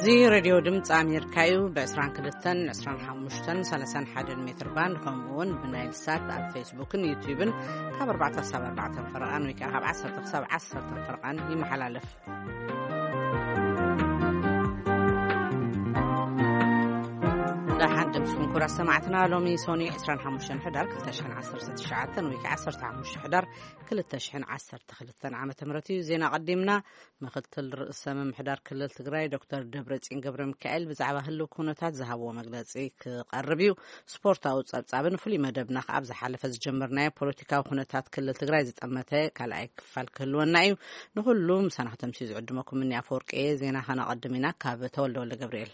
እዚ ሬድዮ ድምፂ ኣሜሪካ እዩ። ብ22፣ 25፣ 31 ሜትር ባንድ፣ ከምኡ እውን ብናይል ሳት ኣብ ፌስቡክን ዩቲዩብን ካብ ኣርባዕተ ክሳብ ኣርባዕተ ፈረቓን ወይ ከዓ ካብ ዓሰርተ ክሳብ ዓሰርተ ፈረቓን ይመሓላለፍ። ደሓን ድምፅኩም ክቡራት ሰማዕትና። ሎሚ ሶኒ 25 ሕዳር 2019 ወይ ከዓ 15 ሕዳር 2012 ዓመተ ምህረት እዩ። ዜና ቀዲምና። ምክትል ርእሰ ምምሕዳር ክልል ትግራይ ዶክተር ደብረጽዮን ገብረ ሚካኤል ብዛዕባ ህልው ኩነታት ዝሃብዎ መግለጺ ክቐርብ እዩ። ስፖርታዊ ጸብጻብን ፍሉይ መደብና ከኣ ኣብ ዝሓለፈ ዝጀመርናዮ ፖለቲካዊ ኩነታት ክልል ትግራይ ዝጠመተ ካልኣይ ክፋል ክህልወና እዩ። ንኹሉ ምሳና ከተምስዩ ዝዕድመኩም እኒ ኣፈወርቂ እየ። ዜና ከነቐድም ኢና። ካብ ተወልደ ወልደ ገብርኤል።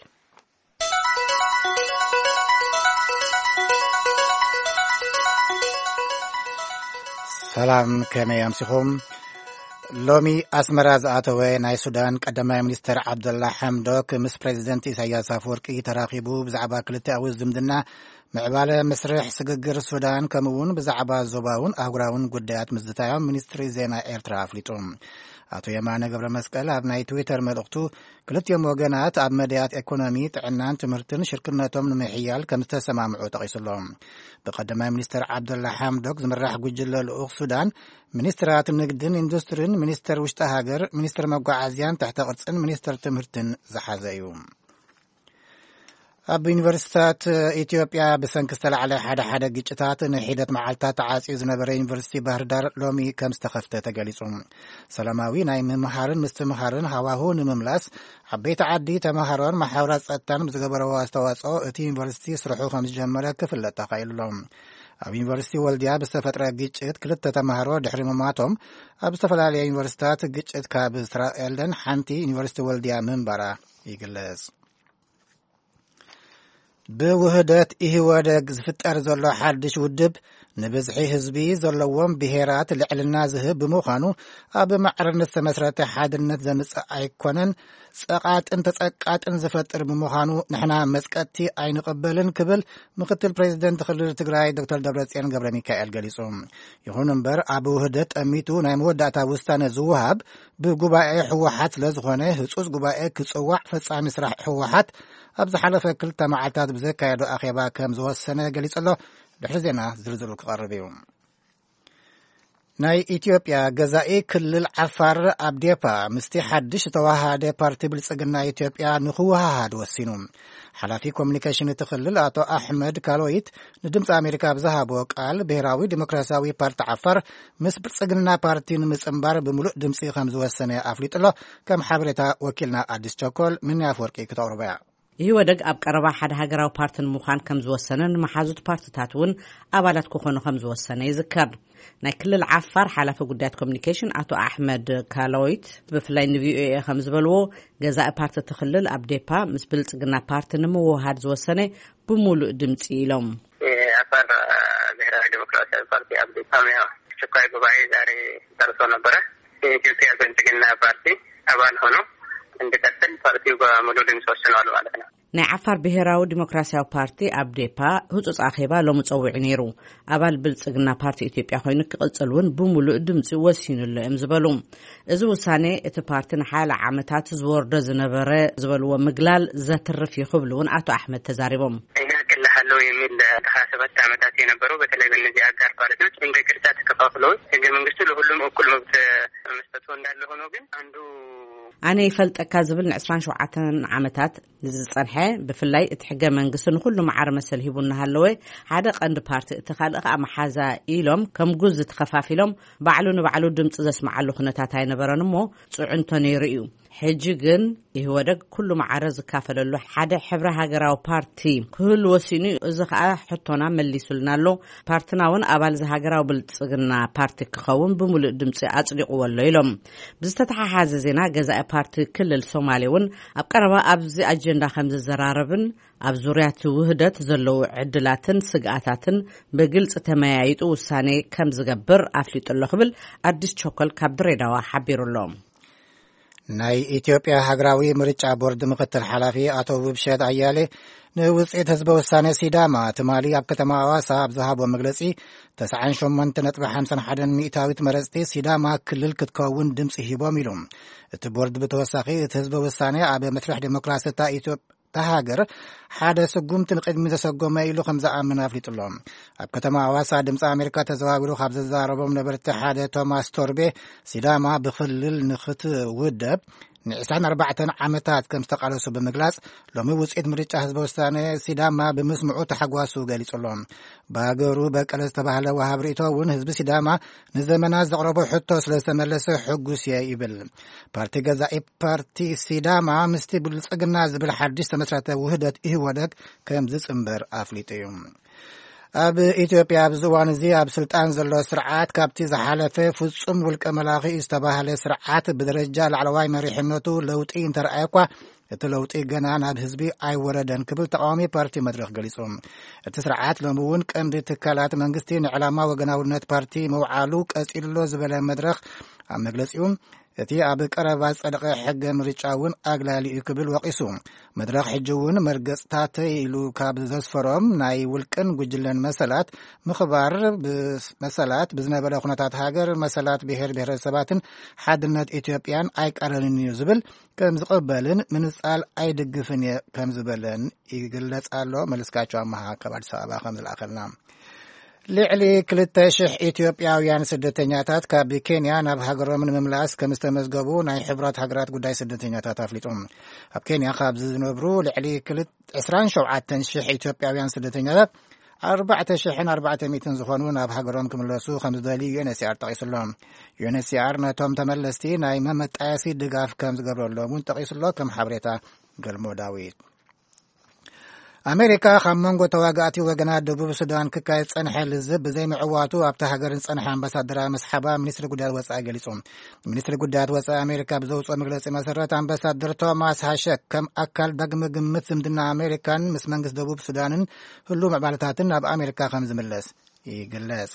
ሰላም፣ ከመይ ኣምሲኹም? ሎሚ ኣስመራ ዝኣተወ ናይ ሱዳን ቀዳማይ ሚኒስትር ዓብደላ ሓምዶክ ምስ ፕሬዚደንት ኢሳያስ ኣፈወርቂ ተራኺቡ ብዛዕባ ክልቲኣዊ ዝምድና፣ ምዕባለ መስርሕ ስግግር ሱዳን፣ ከምኡ እውን ብዛዕባ ዞባውን ኣህጉራውን ጉዳያት ምዝታዮም ሚኒስትሪ ዜና ኤርትራ ኣፍሊጡ። ኣቶ የማነ ገብረ መስቀል ኣብ ናይ ትዊተር መልእኽቱ፣ ክልቲኦም ወገናት ኣብ መዳያት ኤኮኖሚ፣ ጥዕናን ትምህርትን ሽርክነቶም ንምሕያል ከም ዝተሰማምዑ ጠቒሱ ኣሎ። ብቀዳማይ ሚኒስትር ዓብደላ ሓምዶክ ዝምራሕ ጉጅለ ልኡኽ ሱዳን፣ ሚኒስትራት ንግድን ኢንዱስትሪን፣ ሚኒስትር ውሽጢ ሃገር፣ ሚኒስትር መጓዓዝያን ትሕተ ቅርጽን ሚኒስትር ትምህርትን ዝሓዘ እዩ። ኣብ ዩኒቨርሲታት ኢትዮጵያ ብሰንኪ ዝተላዕለ ሓደ ሓደ ግጭታት ንሒደት መዓልታት ተዓጽዩ ዝነበረ ዩኒቨርሲቲ ባህር ዳር ሎሚ ከም ዝተኸፍተ ተገሊጹ። ሰላማዊ ናይ ምምሃርን ምስትምሃርን ሃዋሁ ንምምላስ ዓበይቲ ዓዲ፣ ተመሃሮን መሓውራት ጸጥታን ብዝገበረዎ ኣስተዋጽኦ እቲ ዩኒቨርሲቲ ስርሑ ከም ዝጀመረ ክፍለጥ ተኻኢሉ ኣሎ። ኣብ ዩኒቨርሲቲ ወልድያ ብዝተፈጥረ ግጭት ክልተ ተመሃሮ ድሕሪ ምሟቶም፣ ኣብ ዝተፈላለያ ዩኒቨርሲታት ግጭት ካብ ዝተራእየለን ሓንቲ ዩኒቨርሲቲ ወልድያ ምንባራ ይግለጽ። ብውህደት ኢህወደግ ዝፍጠር ዘሎ ሓድሽ ውድብ፣ ንብዝሒ ህዝቢ ዘለዎም ብሄራት ልዕልና ዝህብ ብምዃኑ፣ ኣብ ማዕርነት ዝተመስረተ ሓድነት ዘምጽእ ኣይኮነን፣ ጸቓጥን ተጸቃጥን ዝፈጥር ብምዃኑ፣ ንሕና መጽቀጥቲ ኣይንቕበልን ክብል ምክትል ፕሬዚደንት ክልል ትግራይ ዶክተር ደብረጽዮን ገብረ ሚካኤል ገሊጹ። ይኹን እምበር፣ ኣብ ውህደት ጠሚቱ ናይ መወዳእታ ውሳነ ዝወሃብ ብጉባኤ ህወሓት ስለ ዝኾነ፣ ህጹጽ ጉባኤ ክጽዋዕ ፈጻሚ ስራሕ ህወሓት ኣብ ዝሓለፈ ክልተ መዓልታት ብዘካየዶ ኣኼባ ከም ዝወሰነ ገሊጹ ኣሎ። ድሕሪ ዜና ዝርዝሩ ክቐርብ እዩ። ናይ ኢትዮጵያ ገዛኢ ክልል ዓፋር፣ ኣብዴፓ፣ ምስቲ ሓድሽ ዝተዋሃደ ፓርቲ ብልጽግና ኢትዮጵያ ንክወሃሃድ ወሲኑ። ሓላፊ ኮሚኒኬሽን እቲ ክልል ኣቶ ኣሕመድ ካሎይት ንድምፂ ኣሜሪካ ብዝሃቦ ቃል፣ ብሄራዊ ዲሞክራሲያዊ ፓርቲ ዓፋር ምስ ብልጽግና ፓርቲ ንምጽንባር ብምሉእ ድምፂ ከም ዝወሰነ ኣፍሊጡ ኣሎ። ከም ሓበሬታ ወኪልና ኣዲስ ቸኮል ምንያ ኣፍወርቂ ክተቕርቦ እያ። ኢህወደግ ኣብ ቀረባ ሓደ ሃገራዊ ፓርቲ ንምዃን ከም ዝወሰነን መሓዙት ፓርትታት እውን ኣባላት ክኾኑ ከም ዝወሰነ ይዝከር። ናይ ክልል ዓፋር ሓላፊ ጉዳያት ኮሚኒኬሽን ኣቶ ኣሕመድ ካሎይት ብፍላይ ንቪኦኤ ከም ዝበልዎ፣ ገዛኢ ፓርቲ እቲ ክልል ኣብዴፓ ምስ ብልጽግና ፓርቲ ንምውህሃድ ዝወሰነ ብምሉእ ድምፂ ኢሎም። የአፋር ብሔራዊ ዲሞክራሲያዊ ፓርቲ፣ አብዴፓ፣ አስቸኳይ ጉባኤ ዛሬ ጠርቶ ነበረ። የኢትዮጵያ ብልጽግና ፓርቲ አባል ሆኖ እንዲቀጥል ፓርቲው በሙሉ ድምፅ ወስኗል ማለት ነው። ናይ ዓፋር ብሄራዊ ዲሞክራሲያዊ ፓርቲ፣ ኣብዴፓ፣ ህጹጽ ኣኼባ ሎሚ ጸዊዑ ነይሩ። ኣባል ብልጽግና ፓርቲ ኢትዮጵያ ኮይኑ ክቕጽል እውን ብምሉእ ድምጺ ወሲኑሉ እዮም ዝበሉ። እዚ ውሳኔ እቲ ፓርቲ ንሓያለ ዓመታት ዝወርዶ ዝነበረ ዝበልዎ ምግላል ዘትርፍ እዩ ክብሉ እውን ኣቶ ኣሕመድ ተዛሪቦም። እኛ እቅልሃለሁ የሚል ከ27 ዓመታት የነበረው በተለይ በእነዚህ አጋር ፓርቲዎች እንደ ቅርጫ ተከፋፍለው ህገ መንግስቱ ለሁሉም እኩል መብት መስጠቱ እንዳለ ሆኖ ግን አንዱ ኣነ ይፈልጠካ ዝብል ን27 ዓመታት ንዝጸንሐ፣ ብፍላይ እቲ ሕገ መንግስቲ ንኹሉ ማዕረ መሰል ሂቡ እናሃለወ፣ ሓደ ቀንዲ ፓርቲ እቲ ካልእ ከኣ መሓዛ ኢሎም ከም ጉዚ ተኸፋፊሎም ባዕሉ ንባዕሉ ድምፂ ዘስምዓሉ ኩነታት ኣይነበረን እሞ ፅዕንቶ ነይሩ እዩ። ሕጂ ግን ኢህወደግ ኩሉ ማዕረ ዝካፈለሉ ሓደ ሕብረ ሃገራዊ ፓርቲ ክህሉ ወሲኑ እዩ። እዚ ከኣ ሕቶና መሊሱልና ኣሎ። ፓርትና እውን ኣባል እዚ ሃገራዊ ብልጽግና ፓርቲ ክኸውን ብምሉእ ድምፂ ኣጽዲቕዎ ኣሎ ኢሎም። ብዝተተሓሓዘ ዜና፣ ገዛኢ ፓርቲ ክልል ሶማሌ እውን ኣብ ቀረባ ኣብዚ ኣጀንዳ ከም ዝዘራረብን ኣብ ዙርያ እቲ ውህደት ዘለዉ ዕድላትን ስግኣታትን ብግልፂ ተመያይጡ ውሳኔ ከም ዝገብር ኣፍሊጡ ኣሎ ክብል ኣዲስ ቸኮል ካብ ድሬዳዋ ሓቢሩ ኣሎ። ናይ ኢትዮጵያ ሃገራዊ ምርጫ ቦርድ ምክትል ሓላፊ ኣቶ ውብሸት ኣያሌ ንውፅኢት ህዝበ ውሳኔ ሲዳማ ትማሊ ኣብ ከተማ ኣዋሳ ኣብ ዝሃቦ መግለፂ፣ ተስዓን ሸሞንተ ነጥቢ ሓምሳን ሓደን ሚእታዊት መረፅቲ ሲዳማ ክልል ክትከውን ድምፂ ሂቦም ኢሉ። እቲ ቦርድ ብተወሳኺ፣ እቲ ህዝበ ውሳኔ ኣብ መስርሕ ዴሞክራሲ እታ ኢትዮ-፣ እታ ሃገር ሓደ ስጉምቲ ንቕድሚ ዘሰጎመ ኢሉ ከም ዝኣምን ኣፍሊጡ ኣሎ። ኣብ ከተማ ኣዋሳ ድምፂ ኣሜሪካ ተዘዋዊሩ ካብ ዘዛረቦም ነበርቲ ሓደ ቶማስ ቶርቤ፣ ሲዳማ ብክልል ንክትውደብ ንዕስራን ኣርባዕተን ዓመታት ከም ዝተቃለሱ ብምግላጽ፣ ሎሚ ውጽኢት ምርጫ ህዝበ ውሳኔ ሲዳማ ብምስምዑ ተሓጓሱ ገሊጹ ኣሎ። ብሃገሩ በቀለ ዝተባህለ ወሃብ ርእቶ እውን ህዝቢ ሲዳማ ንዘመናት ዘቕረቦ ሕቶ ስለ ዝተመለሰ ሕጉስ እየ ይብል። ፓርቲ ገዛኢ ፓርቲ ሲዳማ ምስቲ ብልጽግና ዝብል ሓድሽ ዝተመስረተ ውህደት ኢህወደግ ከም ዝጽንበር ኣፍሊጡ እዩ። ኣብ ኢትዮጵያ ኣብዚ እዋን እዚ ኣብ ስልጣን ዘሎ ስርዓት ካብቲ ዝሓለፈ ፍጹም ውልቀ መላኺ ዝተባህለ ስርዓት ብደረጃ ላዕለዋይ መሪሕነቱ ለውጢ እንተረኣየ እኳ፣ እቲ ለውጢ ገና ናብ ህዝቢ ኣይወረደን ክብል ተቃዋሚ ፓርቲ መድረኽ ገሊጹ። እቲ ስርዓት ሎሚ እውን ቀንዲ ትካላት መንግስቲ ንዕላማ ወገናውነት ፓርቲ መውዓሉ ቀጺሉ ዝበለ መድረኽ ኣብ መግለጺኡ፣ እቲ ኣብ ቀረባ ዝጸደቐ ሕገ ምርጫ እውን ኣግላሊ እዩ ክብል ወቒሱ። መድረኽ ሕጂ እውን መርገጽታተይ ኢሉ ካብ ዘስፈሮም ናይ ውልቅን ጉጅለን መሰላት ምኽባር፣ ብመሰላት ብዝነበረ ኩነታት ሃገር መሰላት ብሄር ብሄረሰባትን ሓድነት ኢትዮጵያን ኣይቃረንን እዩ ዝብል ከም ዝቕበልን ምንጻል ኣይድግፍን እየ ከም ዝበለን ይግለጽ ኣሎ። መለስካቸው ኣመሃ ካብ ኣዲስ ኣበባ ከም ዝለኣኸልና። ልዕሊ ክልተ ሽሕ ኢትዮጵያውያን ስደተኛታት ካብ ኬንያ ናብ ሃገሮም ንምምላስ ከም ዝተመዝገቡ ናይ ሕቡራት ሃገራት ጉዳይ ስደተኛታት ኣፍሊጡ። ኣብ ኬንያ ካብ ዝነብሩ ልዕሊ ክልተ፣ ዕስራን ሸውዓተን ሽሕ ኢትዮጵያውያን ስደተኛታት፣ ኣርባዕተ ሽሕን ኣርባዕተ ሚእትን ዝኾኑ ናብ ሃገሮም ክምለሱ ከም ዝደልዩ ዩ ኤን ኤች ሲ ኣር ጠቒሱ ኣሎ። ዩ ኤን ኤች ሲ ኣር ነቶም ተመለስቲ ናይ መመጣየሲ ድጋፍ ከም ዝገብረሎም እውን ጠቒሱ ኣሎ። ከም ሓበሬታ ገልሞ ዳዊት። ኣሜሪካ ካብ መንጎ ተዋጋእቲ ወገናት ደቡብ ሱዳን ክካየድ ጸንሐ ልዝብ ብዘይምዕዋቱ፣ ኣብታ ሃገር ዝጸንሐ ኣምባሳደራዊ መስሓባ ሚኒስትሪ ጉዳያት ወጻኢ ገሊጹ። ሚኒስትሪ ጉዳያት ወጻኢ ኣሜሪካ ብዘውጽኦ መግለጺ መሰረት፣ ኣምባሳደር ቶማስ ሃሸክ ከም ኣካል ዳግመ ግምት ዝምድና ኣሜሪካን ምስ መንግስቲ ደቡብ ሱዳንን ህሉው ምዕባለታትን ናብ ኣሜሪካ ከም ዝምለስ ይግለጽ።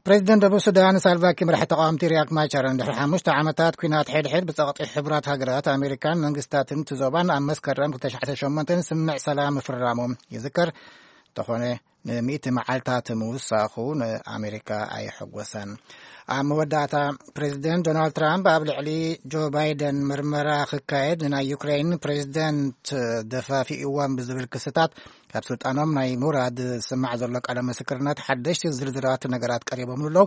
ፕሬዚደንት ደቡብ ሱዳን ሳልቫኪር፣ መራሒ ተቃወምቲ ሪያክ ማቻርን ድሕሪ ሓሙሽተ ዓመታት ኲናት ሕድሕድ ብጸቕጢ ሕቡራት ሃገራት ኣሜሪካን መንግስታትን እቲ ዞባን ኣብ መስከረም ክልተ ሽሕን ሸሞንተን ስምምዕ ሰላም ምፍርራሞም ይዝከር። እንተኾነ፣ ንሚእቲ መዓልታት ምውሳኹ ንኣሜሪካ ኣየሐጎሰን። ኣብ መወዳእታ፣ ፕሬዚደንት ዶናልድ ትራምፕ ኣብ ልዕሊ ጆ ባይደን ምርመራ ክካየድ ንናይ ዩክሬን ፕሬዚደንት ደፋፊእዎም ብዝብል ክስታት ካብ ስልጣኖም ናይ ምውራድ ዝስማዕ ዘሎ ቃለ ምስክርነት ሓደሽቲ ዝርዝራት ነገራት ቀሪቦም ኣለዉ።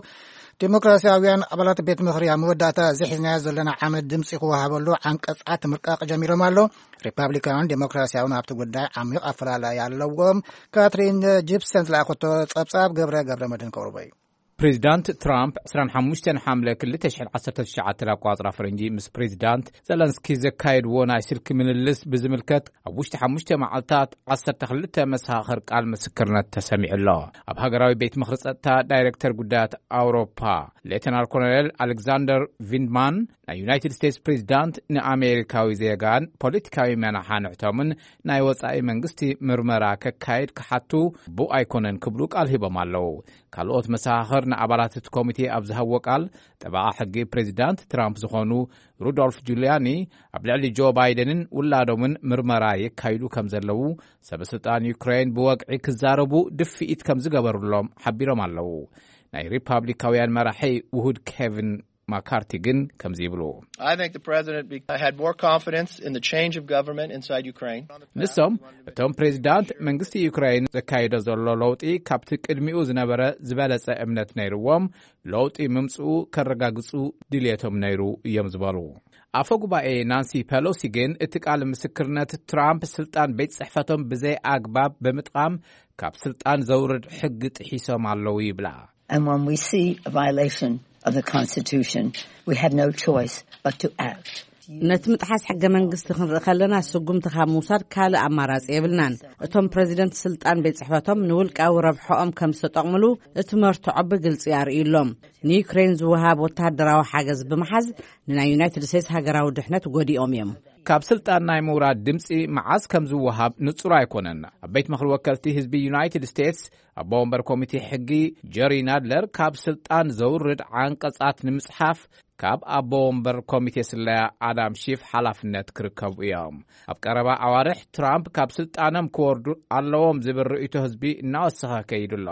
ዲሞክራሲያውያን ኣባላት ቤት ምኽሪ ኣብ መወዳእታ እዚ ሒዝናዮ ዘለና ዓመት ድምፂ ክወሃበሉ ዓንቀፃት ምርቃቕ ጀሚሮም ኣለዉ። ሪፓብሊካውያን ዴሞክራሲያውን ኣብቲ ጉዳይ ዓሚቕ ኣፈላላይ ኣለዎም። ካትሪን ጂፕሰን ዝለኣኸቶ ጸብጻብ ገብረ ገብረ መድህን ከቕርቦ እዩ። ፕሬዚዳንት ትራምፕ ዕስራን ሓሙሽተን ሓምለ ክልተ ሽሕን ዓሰርተ ትሽዓተን ኣቋጽራ ፈረንጂ ምስ ፕሬዚዳንት ዘለንስኪ ዘካየድዎ ናይ ስልኪ ምልልስ ብዝምልከት፣ ኣብ ውሽጢ ሓሙሽተ መዓልታት ዓሰርተ ክልተ መሰኻኽር ቃል ምስክርነት ተሰሚዑ ኣሎ። ኣብ ሃገራዊ ቤት ምኽሪ ጸጥታ ዳይሬክተር ጉዳያት ኣውሮፓ ሌተናል ኮሎኔል ኣሌክዛንደር ቪንድማን፣ ናይ ዩናይትድ ስቴትስ ፕሬዚዳንት ንኣሜሪካዊ ዜጋን ፖለቲካዊ መናሓንሕቶምን ናይ ወጻኢ መንግስቲ ምርመራ ከካይድ ክሓቱ ግቡእ ኣይኮነን ክብሉ ቃል ሂቦም ኣለዉ። ካልኦት መሰኻኽር ንኣባላት እቲ ኮሚቴ ኣብ ዝሃብዎ ቃል፣ ጠበቓ ሕጊ ፕሬዚዳንት ትራምፕ ዝኾኑ ሩዶልፍ ጁልያኒ ኣብ ልዕሊ ጆ ባይደንን ውላዶምን ምርመራ የካይዱ ከም ዘለዉ፣ ሰበ ስልጣን ዩክሬን ብወግዒ ክዛረቡ ድፍኢት ከም ዝገበሩሎም ሓቢሮም ኣለዉ። ናይ ሪፓብሊካውያን መራሒ ውሁድ ኬቪን ማካርቲ ግን ከምዚ ይብሉ። I think the president be- had more confidence in the change of government inside Ukraine. ንሶም፣ እቶም ፕሬዚዳንት መንግስቲ ዩክሬን ዘካይዶ ዘሎ ለውጢ ካብቲ ቅድሚኡ ዝነበረ ዝበለጸ እምነት ነይርዎም፣ ለውጢ ምምጽኡ ከረጋግጹ ድልየቶም ነይሩ እዮም ዝበሉ። ኣፈ ጉባኤ ናንሲ ፔሎሲ ግን እቲ ቃል ምስክርነት ትራምፕ ስልጣን ቤት ጽሕፈቶም ብዘይ ኣግባብ ብምጥቓም ካብ ስልጣን ዘውርድ ሕጊ ጥሒሶም ኣለዉ ይብላ። And when we see a violation of the Constitution, we have no choice but to act. ነቲ ምጥሓስ ሕገ መንግስቲ ክንርኢ ከለና፣ ስጉምቲ ካብ ምውሳድ ካልእ ኣማራጺ የብልናን። እቶም ፕረዚደንት ስልጣን ቤት ጽሕፈቶም ንውልቃዊ ረብሖኦም ከም ዝተጠቕምሉ እቲ መርትዖ ብግልጺ ኣርእዩሎም። ንዩክሬን ዝወሃብ ወተሃደራዊ ሓገዝ ብምሓዝ ንናይ ዩናይትድ ስቴትስ ሃገራዊ ድሕነት ጎዲኦም እዮም። ካብ ስልጣን ናይ ምውራድ ድምፂ መዓዝ ከም ዝወሃብ ንጹር ኣይኮነን። ኣብ ቤት ምኽሪ ወከልቲ ህዝቢ ዩናይትድ ስቴትስ ኣቦ ወንበር ኮሚቴ ሕጊ ጀሪ ናድለር ካብ ስልጣን ዘውርድ ዓንቀጻት ንምጽሓፍ ካብ ኣቦ ወንበር ኮሚቴ ስለያ ኣዳም ሺፍ ሓላፍነት ክርከቡ እዮም። ኣብ ቀረባ ኣዋርሕ ትራምፕ ካብ ስልጣኖም ክወርዱ ኣለዎም ዝብል ርእይቶ ህዝቢ እናወሰኸ ከይዱ ኣሎ።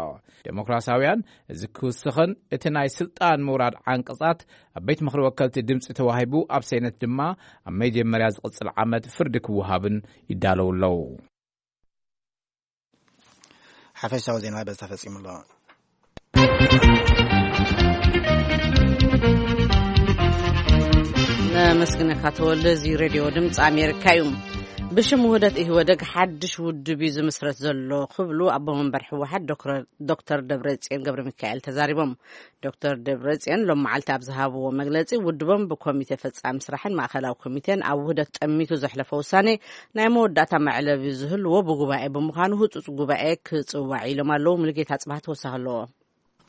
ዴሞክራሲያውያን እዚ ክውስኽን እቲ ናይ ስልጣን ምውራድ ዓንቀጻት ኣብ ቤት ምኽሪ ወከልቲ ድምፂ ተዋሂቡ ኣብ ሴነት ድማ ኣብ መጀመርያ ዝቕጽል ዓመት ፍርዲ ክወሃብን ይዳለዉ ኣለዉ። ሓፈሻዊ ዜና በዚ ተፈጺሙ ኣሎ። ነመስግነካ ተወልደ። እዚ ሬድዮ ድምፂ ኣሜሪካ እዩ። ብሽም ውህደት ኢህወደግ ሓድሽ ውድብ እዩ ዝምስረት ዘሎ ክብሉ ኣቦ መንበር ህወሓት ዶክተር፣ ዶክተር ደብረጽዮን ገብረ ሚካኤል ተዛሪቦም። ዶክተር ደብረጽዮን ሎም መዓልቲ ኣብ ዝሃብዎ መግለጺ ውድቦም ብኮሚቴ ፈጻሚ ስራሕን ማእከላዊ ኮሚቴን ኣብ ውህደት ጠሚቱ ዘሕለፈ ውሳኔ ናይ መወዳእታ መዕለቢ ዝህልዎ ብጉባኤ ብምዃኑ ህጹጽ ጉባኤ ክጽዋዕ ኢሎም ኣለዉ። ሙሉጌታ ጽባህ ተወሳኺ ኣለዎ።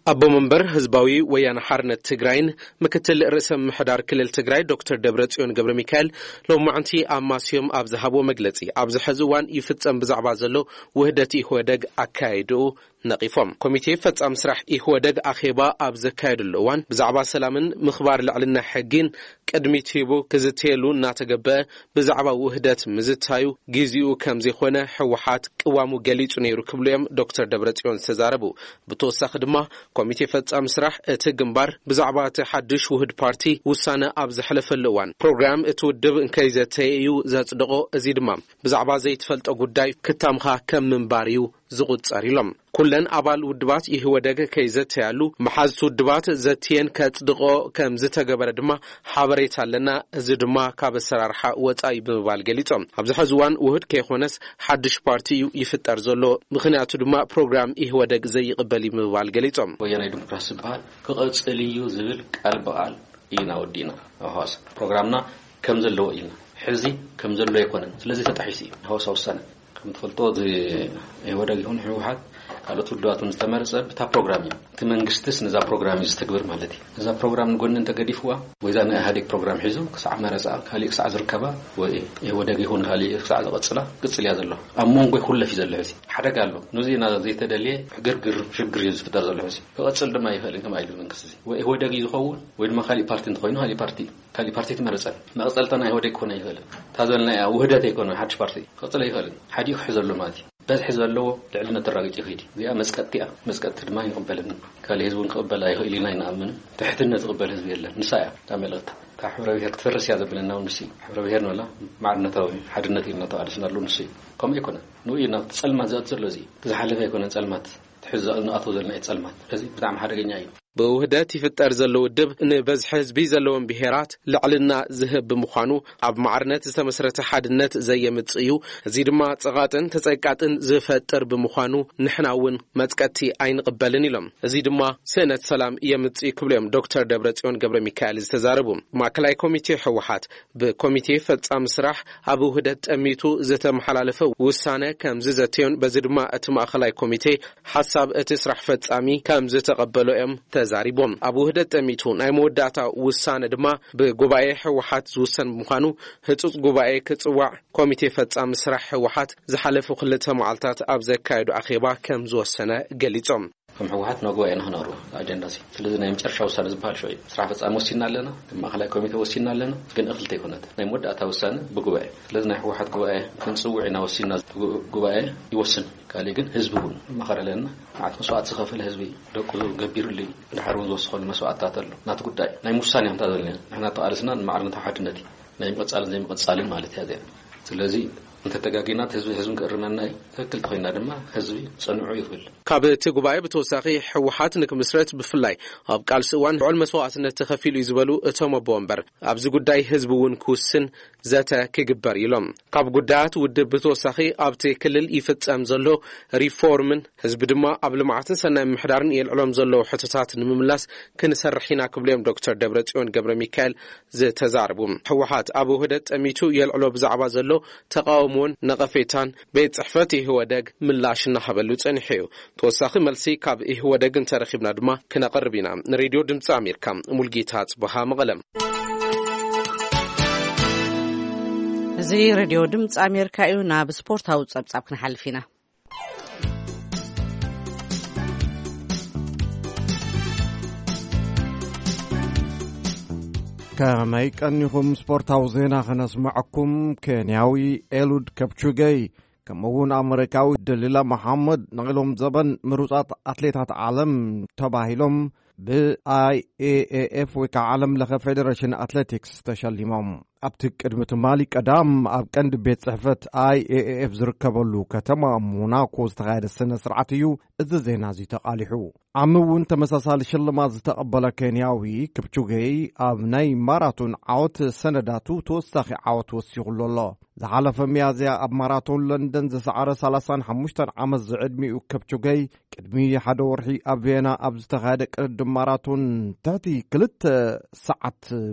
ኣቦ መንበር ህዝባዊ ወያነ ሓርነት ትግራይን ምክትል ርእሰ ምምሕዳር ክልል ትግራይ ዶክተር ደብረጽዮን ገብረ ሚካኤል ሎማዕንቲ ኣብ ማስዮም ኣብ ዝሃብዎ መግለጺ፣ ኣብዚ ሕዚ እዋን ይፍጸም ብዛዕባ ዘሎ ውህደት ኢህወደግ ኣካያይድኡ ነቒፎም። ኮሚቴ ፈጻሚ ስራሕ ኢህወደግ ኣኼባ ኣብ ዘካየደሉ እዋን ብዛዕባ ሰላምን ምኽባር ልዕልና ሕጊን ቅድሚት ሂቡ ክዝተየሉ እናተገበአ ብዛዕባ ውህደት ምዝታዩ ግዜኡ ከም ዘይኮነ ህወሓት ቅዋሙ ገሊጹ ነይሩ ክብሉ እዮም ዶክተር ደብረጽዮን ዝተዛረቡ። ብተወሳኺ ድማ ኮሚቴ ፈጻሚ ስራሕ እቲ ግንባር ብዛዕባ እቲ ሓድሽ ውህድ ፓርቲ ውሳነ ኣብ ዘሕለፈሉ እዋን ፕሮግራም እቲ ውድብ እንከይዘተየ እዩ ዘጽድቖ። እዚ ድማ ብዛዕባ ዘይትፈልጦ ጉዳይ ክታምኻ ከም ምንባር እዩ ዝቑጸር ኢሎም። ኩለን ኣባል ውድባት ኢህወደግ ከይዘተያሉ መሓዝቲ ውድባት ዘትየን ከጽድቖ ከም ዝተገበረ ድማ ሓበሬታ ኣለና። እዚ ድማ ካብ ኣሰራርሓ ወጻኢ ብምባል ገሊጾም። ኣብዚ ሕዚ እዋን ውህድ ከይኾነስ ሓድሽ ፓርቲ እዩ ይፍጠር ዘሎ። ምኽንያቱ ድማ ፕሮግራም ኢህወደግ ዘይቕበል እዩ ብምባል ገሊጾም። ወያናይ ዲሞክራሲ ዝበሃል ክቐጽል እዩ ዝብል ቃል ብቓል ኢና ወዲእና። ኣብ ሃዋሳ ፕሮግራምና ከም ዘለዎ ኢልና። ሕዚ ከም ዘሎ ኣይኮነን። ስለዚ ተጣሒሱ እዩ ሃዋሳ ውሳነ። ከም ትፈልጦ፣ እዚ ኢህወደግ ይኹን ህወሓት ካልኦት ውድባት እውን ዝተመረጸ ብታ ፕሮግራም እዩ። እቲ መንግስትስ ነዛ ፕሮግራም እዩ ዝተግብር ማለት እዩ። እዛ ፕሮግራም ንጎኒ እንተገዲፍዋ፣ ወይ እዛ ናይ ኢህኣዴግ ፕሮግራም ሒዙ ክሳዕ መረጻ፣ ካሊእ ክሳዕ ዝርከባ፣ ወይ ኢህወደግ ይኹን ካሊእ ክሳዕ ዝቐጽላ፣ ቅጽል እያ ዘሎ። ኣብ መንጎ ይኹለፍ እዩ ዘሎ ሕዚ። ሓደጋ ኣሎ። ነዚ ኢና ዘይተደልየ ግርግር፣ ሽግር እዩ ዝፍጠር ዘሎ ሕዚ። ክቐጽል ድማ ይኽእል እዩ፣ ከምኣ ኢሉ መንግስቲ እዚ። ወይ ኢህወደግ እዩ ዝኸውን፣ ወይ ድማ ካሊእ ፓርቲ እንተኾይኑ፣ ካሊእ ፓርቲ፣ ካሊእ ፓርቲ ትመረጸ። መቐጸልታ ናይ ኢህወደግ ክኾን ኣይኽእልን። እታ ዘልና እያ ውህደት ኣይኮነ፣ ሓድሽ ፓርቲ ክቐጽል ኣይኽእልን። ሓዲኡ ክሕዘሉ ማለት እዩ። በዝሒ ዘለዎ ልዕልነት ተራጊጹ ይኸይድ እዩ። እዚኣ መጽቀጥቲ እያ። መጽቀጥቲ ድማ ይቕበልን። ካልእ ህዝቢ እውን ክቕበል ኣይኽእል ኢና ይንኣምን። ትሕትነት ዝቕበል ህዝቢ የለን። ንሳ እያ እታ መልእኽታ። እታ ሕብረ ብሔር ክትፈርስ እያ ዘብለና እውን ንሱ እዩ። ሕብረ ብሔር ንበላ ማዕርነታዊ ሓድነት ኢልና ተቓሊስና ኣሎ ንሱ እዩ። ከምኡ ኣይኮነን። ንኡ እዩ ናብቲ ጸልማት ዝኣቱ ዘሎ እዚ እዩ። እቲ ዝሓለፈ ኣይኮነን ጸልማት። እቲ ሕዚ ንኣትዎ ዘለና እዩ ጸልማት። ስለዚ ብጣዕሚ ሓደገኛ እዩ። ብውህደት ይፍጠር ዘሎ ውድብ ንበዝሒ ህዝቢ ዘለዎም ብሄራት ልዕልና ዝህብ ብምዃኑ ኣብ ማዕርነት ዝተመስረተ ሓድነት ዘየምጽእ እዩ። እዚ ድማ ጸቓጥን ተጸቃጥን ዝፈጥር ብምዃኑ ንሕና እውን መጽቀጥቲ ኣይንቕበልን ኢሎም። እዚ ድማ ስእነት ሰላም የምጽእ ክብሉ እዮም ዶክተር ደብረጽዮን ገብረ ሚካኤል ዝተዛረቡ። ማእከላይ ኮሚቴ ህወሓት ብኮሚቴ ፈጻሚ ስራሕ ኣብ ውህደት ጠሚቱ ዝተመሓላለፈ ውሳነ ከም ዝዘተዮን በዚ ድማ እቲ ማእከላይ ኮሚቴ ሓሳብ እቲ ስራሕ ፈጻሚ ከም ዝተቐበሎ እዮም ተዛሪቦም። ኣብ ውህደት ጠሚቱ ናይ መወዳእታ ውሳነ ድማ ብጉባኤ ህወሓት ዝውሰን ብምዃኑ ህጹጽ ጉባኤ ክጽዋዕ ኮሚቴ ፈጻሚ ስራሕ ህወሓት ዝሓለፉ ክልተ መዓልታት ኣብ ዘካየዱ ኣኼባ ከም ዝወሰነ ገሊጾም። ከም ህወሓት ናብ ጉባኤ ኢና ክነቕርቦ ኣጀንዳ እዚ። ስለዚ ናይ መጨረሻ ውሳነ ዝበሃል ሽዑ እዩ። ስራሕ ፈጻሚ ወሲና ኣለና፣ ከም ማእከላይ ኮሚቴ ወሲና ኣለና፣ ግን እኽልቲ ኣይኮነት። ናይ መወዳእታ ውሳነ ብጉባኤ። ስለዚ ናይ ህወሓት ጉባኤ ክንጽውዕ ኢና ወሲና፣ ጉ-፣ ጉባኤ ይወስን። ካልእ ግን ህዝቢ እውን መኸረ ኣለና። መዓት መስዋዕቲ ዝኸፈለ ህዝቢ ደቁ ገቢሩሉ እዩ። ድሓር እውን ዝወሰኸሉ መስዋዕትታት ኣሎ። ናቲ ጉዳይ ናይ ምውሳን እዮም እንታ ዘለና። ንሕና ተቓልስና ንማዕርነት ሓድነት እዩ። ናይ ምቕጻልን ዘይምቕጻልን ማለት እያ እዚኣ። ስለዚ እንተተጋጊና እቲ ህዝቢ፣ ህዝቢ ክእርመና እዩ። ትክክል ተኾይና ድማ ህዝቢ ጽንዑ ይብል። ካብ እቲ ጉባኤ ብተወሳኺ ህወሓት ንክምስረት ብፍላይ ኣብ ቃልሲ እዋን ልዑል መስዋዕትነት ተኸፊሉ እዩ ዝበሉ እቶም ኣቦ ወንበር፣ ኣብዚ ጉዳይ ህዝቢ እውን ክውስን ዘተ ክግበር ኢሎም። ካብ ጉዳያት ውድብ ብተወሳኺ ኣብቲ ክልል ይፍጸም ዘሎ ሪፎርምን ህዝቢ ድማ ኣብ ልምዓትን ሰናይ ምምሕዳርን የልዕሎም ዘለዉ ሕቶታት ንምምላስ ክንሰርሕ ኢና ክብሉ እዮም ዶክተር ደብረጽዮን ገብረ ሚካኤል ዝተዛረቡ። ህወሓት ኣብ ውህደት ጠሚቱ የልዕሎ ብዛዕባ ዘሎ ተቃውሞን ነቐፌታን ቤት ጽሕፈት ኢህወደግ ምላሽ እናሃበሉ ጸኒሑ እዩ። ተወሳኺ መልሲ ካብ ኢህወደግ እንተረኺብና ድማ ክነቕርብ ኢና። ንሬድዮ ድምፂ ኣሜሪካ ሙልጌታ ጽበሃ መቐለም። እዚ ሬድዮ ድምፂ ኣሜሪካ እዩ። ናብ ስፖርታዊ ጸብጻብ ክንሓልፍ ኢና። ከመይ ቀኒኹም? ስፖርታዊ ዜና ከነስምዐኩም። ኬንያዊ ኤሉድ ከፕቹገይ ከምኡ እውን ኣመሪካዊ ደሊላ መሓመድ ንሎም ዘበን ምሩፃት ኣትሌታት ዓለም ተባሂሎም ብ I A A F ወይ ከዓ ዓለም ለኸ ፌደሬሽን ኣትሌቲክስ ተሸሊሞም። ኣብቲ ቅድሚ ትማሊ ቀዳም ኣብ ቀንዲ ቤት ጽሕፈት I A A F ዝርከበሉ ከተማ ሞናኮ ዝተኻየደ ስነ ስርዓት እዩ እዚ ዜና እዚ ተቓሊሑ። ዓሚ እውን ተመሳሳሊ ሽልማት ዝተቐበለ ኬንያዊ ክፕቹጌይ ኣብ ናይ ማራቶን ዓወት ሰነዳቱ ተወሳኺ ዓወት ወሲኹሉ ኣሎ። ዝሓለፈ ሚያዝያ ኣብ ማራቶን ለንደን ዝሰዓረ ሰላሳን ሓሙሽተን ዓመት ዝዕድሚኡ ከፕቹገይ ቅድሚ ሓደ ወርሒ ኣብ ቬና ኣብ ዝተኻየደ ቅድድም ማራቶን ትሕቲ ክልተ ሰዓት፣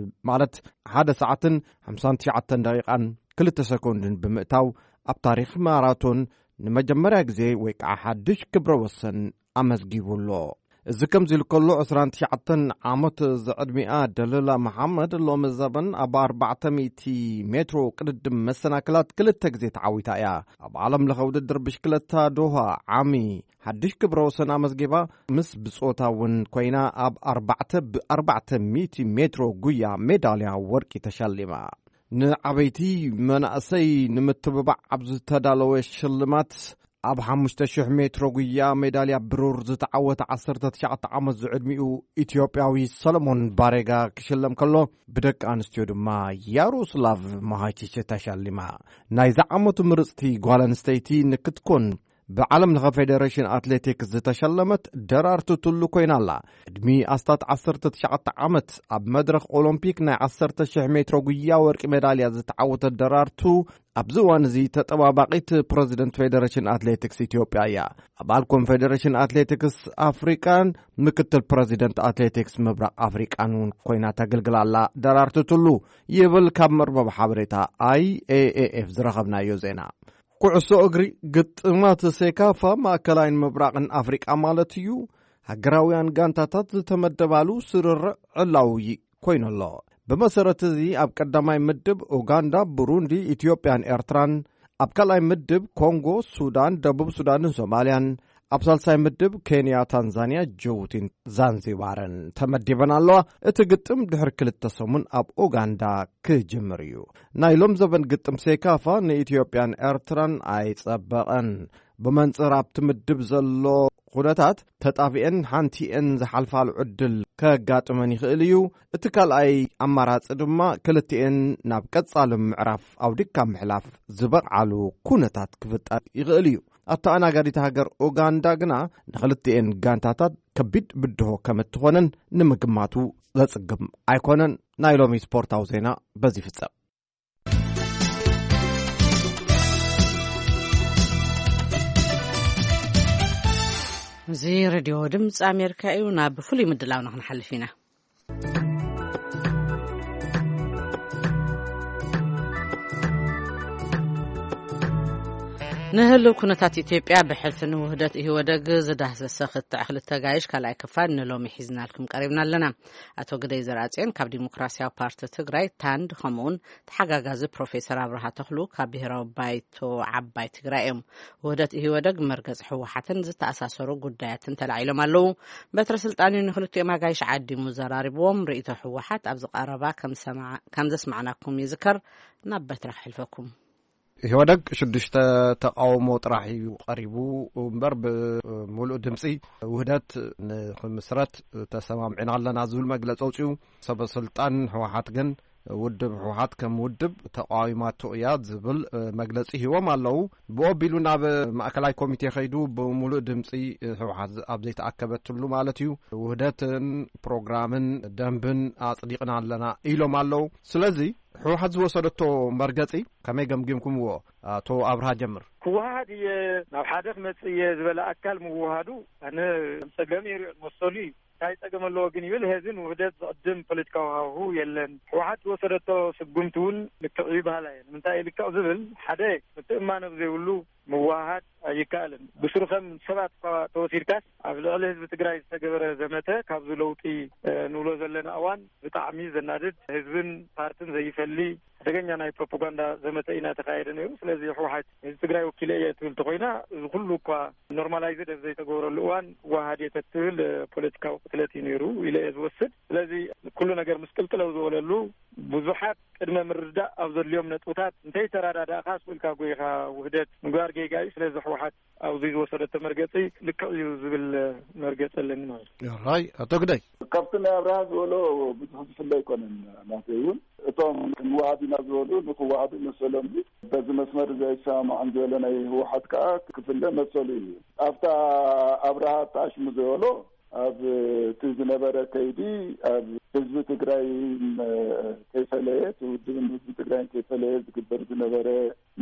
ማለት ሓደ ሰዓትን ሓምሳን ትሽዓተን ደቂቓን ክልተ ሰኮንድን ብምእታው ኣብ ታሪኽ ማራቶን ንመጀመርያ ግዜ ወይ ከዓ ሓድሽ ክብረ ወሰን ኣመዝጊቡ ኣሎ። እዚ ከምዚ ኢሉ ከሎ ዕስራን ትሽዓተን ዓመት ዝዕድሚኣ ደለላ መሓመድ ሎሚ ዘበን ኣብ ኣርባዕተ ሚእቲ ሜትሮ ቅድድም መሰናክላት ክልተ ግዜ ተዓዊታ እያ። ኣብ ዓለም ለኸ ውድድር ብሽክለታ ዶሃ ዓሚ ሓድሽ ክብረ ወሰን ኣመዝጊባ፣ ምስ ብጾታ እውን ኮይና ኣብ ኣርባዕተ ብኣርባዕተ ሚእቲ ሜትሮ ጉያ ሜዳልያ ወርቂ ተሸሊማ። ንዓበይቲ መናእሰይ ንምትብባዕ ኣብ ዝተዳለወ ሽልማት ኣብ ሓሙሽተ ሽሕ ሜትሮ ጉያ ሜዳልያ ብሩር ዝተዓወተ ዓሰርተ ትሽዓተ ዓመት ዝዕድሚኡ ኢትዮጵያዊ ሰለሞን ባሬጋ ክሽለም ከሎ፣ ብደቂ ኣንስትዮ ድማ ያሮስላቭ ማሃቺች ተሸሊማ። ናይዚ ዓመቱ ምርጽቲ ጓል ኣንስተይቲ ንክትኮን ብዓለም ለኸ ፌደሬሽን ኣትሌቲክስ ዝተሸለመት ደራርቱ ቱሉ ኮይና ኣላ። ቅድሚ ኣስታት ዓሰርተ ትሽዓተ ዓመት ኣብ መድረኽ ኦሎምፒክ ናይ ዓሰርተ ሽሕ ሜትሮ ጉያ ወርቂ ሜዳልያ ዝተዓወተት ደራርቱ ኣብዚ እዋን እዚ ተጠባባቒት ፕረዚደንት ፌደሬሽን ኣትሌቲክስ ኢትዮጵያ እያ። ኣባል ኮንፌደሬሽን ኣትሌቲክስ ኣፍሪቃን ምክትል ፕረዚደንት ኣትሌቲክስ ምብራቕ ኣፍሪቃን እውን ኮይና ተገልግል ኣላ ደራርቱ ቱሉ፣ ይብል ካብ መርበብ ሓበሬታ I A A F ዝረኸብናዮ ዜና። ኩዕሶ እግሪ ግጥማት ሴካፋ ማእከላይን ምብራቕን ኣፍሪቃ ማለት እዩ፣ ሃገራውያን ጋንታታት ዝተመደባሉ ስርርዕ ዕላዊ ኮይኑ ኣሎ። ብመሰረት እዚ ኣብ ቀዳማይ ምድብ ኡጋንዳ፣ ብሩንዲ፣ ኢትዮጵያን ኤርትራን፣ ኣብ ካልኣይ ምድብ ኮንጎ፣ ሱዳን፣ ደቡብ ሱዳንን ሶማልያን፣ ኣብ ሳልሳይ ምድብ ኬንያ፣ ታንዛንያ፣ ጅቡቲን ዛንዚባርን ተመዲበን ኣለዋ። እቲ ግጥም ድሕሪ ክልተ ሰሙን ኣብ ኡጋንዳ ክጅምር እዩ። ናይ ሎም ዘበን ግጥም ሴካፋ ንኢትዮጵያን ኤርትራን ኣይጸበቐን። ብመንጽር ኣብቲ ምድብ ዘሎ ኩነታት ተጣቢኤን ሓንቲኤን ዝሓልፋሉ ዕድል ከጋጥመን ይኽእል እዩ። እቲ ካልኣይ ኣማራጺ ድማ ክልቲኤን ናብ ቀጻሊ ምዕራፍ ኣውዲካ ምሕላፍ ዝበቕዓሉ ኩነታት ክፍጠር ይኽእል እዩ። ኣተኣናጋዲት ሃገር ኡጋንዳ ግና ንኽልቲኤን ጋንታታት ከቢድ ብድሆ ከም እትኾነን ንምግማቱ ዘጽግም ኣይኮነን። ናይ ሎሚ ስፖርታዊ ዜና በዚ ይፍጸም። እዚ ሬድዮ ድምፂ ኣሜሪካ እዩ። ናብ ፍሉይ ምድላውና ክንሓልፍ ኢና። ንህልው ኩነታት ኢትዮጵያ ብሕልፊ ንውህደት ኢህወደግ ዝዳህሰሰ ክትዕ ክልተ ጋይሽ ካልኣይ ክፋል ንሎሚ ሒዝናልኩም ቀሪብና ኣለና። ኣቶ ግደይ ዘርኣጽዮን ካብ ዲሞክራሲያዊ ፓርቲ ትግራይ፣ ታንድ፣ ከምኡውን ተሓጋጋዚ ፕሮፌሰር ኣብርሃ ተኽሉ ካብ ብሔራዊ ባይቶ ዓባይ ትግራይ እዮም። ውህደት ኢህወደግ መርገጺ ህወሓትን ዝተኣሳሰሩ ጉዳያትን ተላዒሎም ኣለዉ። በትረ ስልጣን እዩ ንክልቲኦም ኣጋይሽ ዓዲሙ ዘራሪብዎም። ርእይቶ ህወሓት ኣብዚ ቀረባ ከም ሰማ-፣ ከም ዘስማዕናኩም ይዝከር። ናብ በትረ ክሕልፈኩም። ኢህወደግ ሽዱሽተ ተቃውሞ ጥራሕ እዩ ቀሪቡ እምበር፣ ብምሉእ ድምፂ ውህደት ንክምስረት ተሰማምዕና ኣለና ዝብል መግለፂ ኣውፅኡ። ሰበ ስልጣን ህወሓት ግን ውድብ ህወሓት ከም ውድብ ተቃዊማቶ እያ ዝብል መግለፂ ሂቦም ኣለዉ። ብኦቢሉ ናብ ማእከላይ ኮሚቴ ከይዱ ብምሉእ ድምፂ ህወሓት ኣብ ዘይተኣከበትሉ ማለት እዩ፣ ውህደትን ፕሮግራምን ደንብን ኣፅዲቕና ኣለና ኢሎም ኣለዉ። ስለዚ ህወሓት ዝወሰደቶ መርገፂ ከመይ ገምጊምኩምዎ? ኣቶ ኣብርሃ ጀምር። ክወሃሃድ እየ፣ ናብ ሓደ ክመጽእ እየ ዝበለ ኣካል ምውሃዱ ኣነ ከም ጸገም የሪኦ መሰሉ እዩ። እንታይ ጸገም ኣለዎ ግን ይብል። ህዝብን ውህደት ዝቕድም ፖለቲካዊ ሃዋሁ የለን። ህወሓት ዝወሰደቶ ስጉምቲ እውን ልክዕ እዩ በሃላይ እየ። ንምንታይ እዩ ልክዕ ዝብል? ሓደ፣ ምትእምማን ኣብ ዘይብሉ ምውህሃድ ኣይከኣልን። ብስሩ ከም ሰባት እኳ ተወሲድካስ ኣብ ልዕሊ ህዝቢ ትግራይ ዝተገበረ ዘመተ ካብዚ ለውጢ ንብሎ ዘለና እዋን ብጣዕሚ ዘናድድ፣ ህዝብን ፓርትን ዘይፈሊ ሓደገኛ ናይ ፕሮፓጋንዳ ዘመተ ኢና ተካየደ ነይሩ። ስለዚ ህወሓት ህዝቢ ትግራይ ወኪለ እየ ትብል ተኮይና፣ እዚ ኩሉ እኳ ኖርማላይዝድ ኣብ ዘይተገበረሉ እዋን ዋሃድ እየ ተትብል ፖለቲካዊ ቅትለት እዩ ነይሩ ኢለ እየ ዝወስድ። ስለዚ ኩሉ ነገር ምስ ቅልቅለው ዝበለሉ ብዙሓት ቅድመ ምርዳእ ኣብ ዘድልዮም ነጥብታት እንተይተረዳዳእካ ስቕ ኢልካ ጎይኻ ውህደት ምግባር ጌጋ እዩ። ስለዚ ህወሓት ኣብዚ ዝወሰደቶ መርገፂ ልክዕ እዩ ዝብል መርገፂ ኣለኒ ማለት እዩ። ራይ ኣቶ ግዳይ። ካብቲ ናይ ኣብርሃ ዝበሎ ብዙሕ ዝፍለ ኣይኮነን። ናተይ እውን እቶም ክንወሃብ ኢና ዝበሉ ንክወሃቡ መሰሎም እዩ። በዚ መስመር ዘይሰማማዕን ዝበለ ናይ ህወሓት ከዓ ክፍለ መሰሉ እዩ። ኣብታ ኣብርሃ ተኣሽሙ ዝበሎ ኣብ እቲ ዝነበረ ከይዲ ኣብ ህዝቢ ትግራይ ከይፈለየ፣ እቲ ውድብን ህዝቢ ትግራይ ከይፈለየ ዝግበር ዝነበረ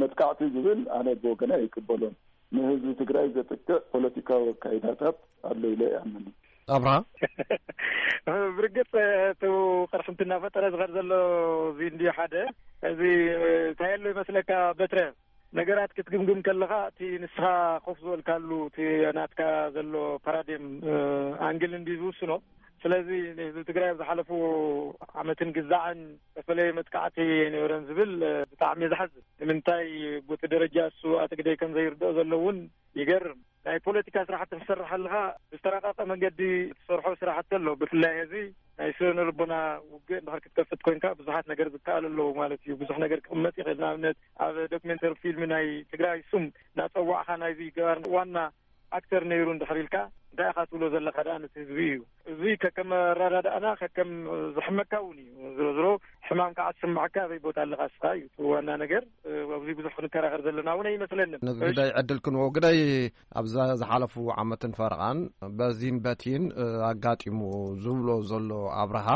መጥቃዕቲ ዝብል ኣነ ብወገና ይቅበሎን። ንህዝቢ ትግራይ ዘጥቅዕ ፖለቲካዊ ኣካይዳታት ኣሎ ኢለ ይኣምን። ኣብርሃ። ብርግፅ እቲ ቅርሕንቲ እናፈጠረ ዝኸድ ዘሎ እዚ እንዲ ሓደ እዚ እንታይ ኣሎ ይመስለካ በትረ ነገራት ክትግምግም ከለኻ እቲ ንስኻ ኮፍ ዝበልካሉ እቲ ናትካ ዘሎ ፓራዲም ኣንግል እንዲ ዝውስኖ። ስለዚ ንህዝቢ ትግራይ ኣብ ዝሓለፉ ዓመትን ግዛዕን ዝተፈለየ መጥቃዕቲ ኣይነበረን ዝብል ብጣዕሚ ዘሓዝን። ንምንታይ ቦቲ ደረጃ እሱ ኣትግደይ ከም ዘይርድኦ ዘሎ እውን ይገርም። ናይ ፖለቲካ ስራሕቲ ክትሰርሕ ኣለኻ ብዝተራቀቀ መንገዲ ትሰርሖ ስራሕቲ ኣሎ። ብፍላይ እዚ ናይ ስነ ልቦና ውግእ እንድሕር ክትከፍት ኮንካ ብዙሓት ነገር ዝከኣል ኣለዉ ማለት እዩ። ብዙሕ ነገር ክቕመጥ ይኽእል። ንኣብነት ኣብ ዶክሜንተሪ ፊልም ናይ ትግራይ ስም እናፀዋዕካ ናይዚ ገባር ዋና ኣክተር ነይሩ እንድሕር ኢልካ እንታይ ኢኻ ትብሎ ዘለካ ደኣ ነቲ ህዝቢ እዩ። እዚ ከከም ኣረዳድኣና ከከም ዝሕመካ እውን እዩ። ዝሮ ዝሮ ሕማም ከዓ ዝስምዓካ ኣበይ ቦታ ኣለካ እስኻ እዩ እቲ ዋና ነገር። ኣብዚ ብዙሕ ክንከራኸር ዘለና እውን ኣይመስለንን። ነዚ እሺ። ጉዳይ ዕድል ክንዎ ግዳይ ኣብዛ ዝሓለፉ ዓመትን ፈረቓን በዚን በቲን ኣጋጢሙ ዝብሎ ዘሎ ኣብርሃ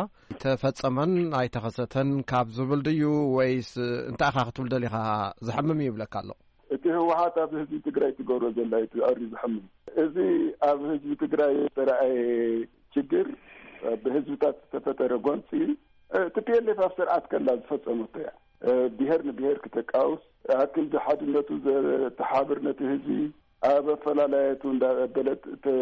ተፈጸመን ኣይተኸሰተን ካብ ዝብል ድዩ ወይስ እንታይ ኢኻ ክትብል ደሊኻ ዝሕምም እዩ ይብለካ ኣሎ? እቲ ህወሓት ኣብ ህዝቢ ትግራይ ትገብሮ ዘላ እዩ እቲ ኣርዩ ዝሕምም። እዚ ኣብ ህዝቢ ትግራይ ዝተረኣየ ችግር ብህዝብታት ዝተፈጠረ ጎንፂ እ፣ ቲ ፒ ኤል ኤፍ ኣብ ስርዓት ከላ ዝፈጸመቶ እያ። እ፣ ብሄር ንብሄር ክተቃውስ፣ ኣክል ሓድነቱ ዘተሓብር ነቲ ህዝቢ ኣብ ኣፈላላየቱ እንዳበለት ተ-፣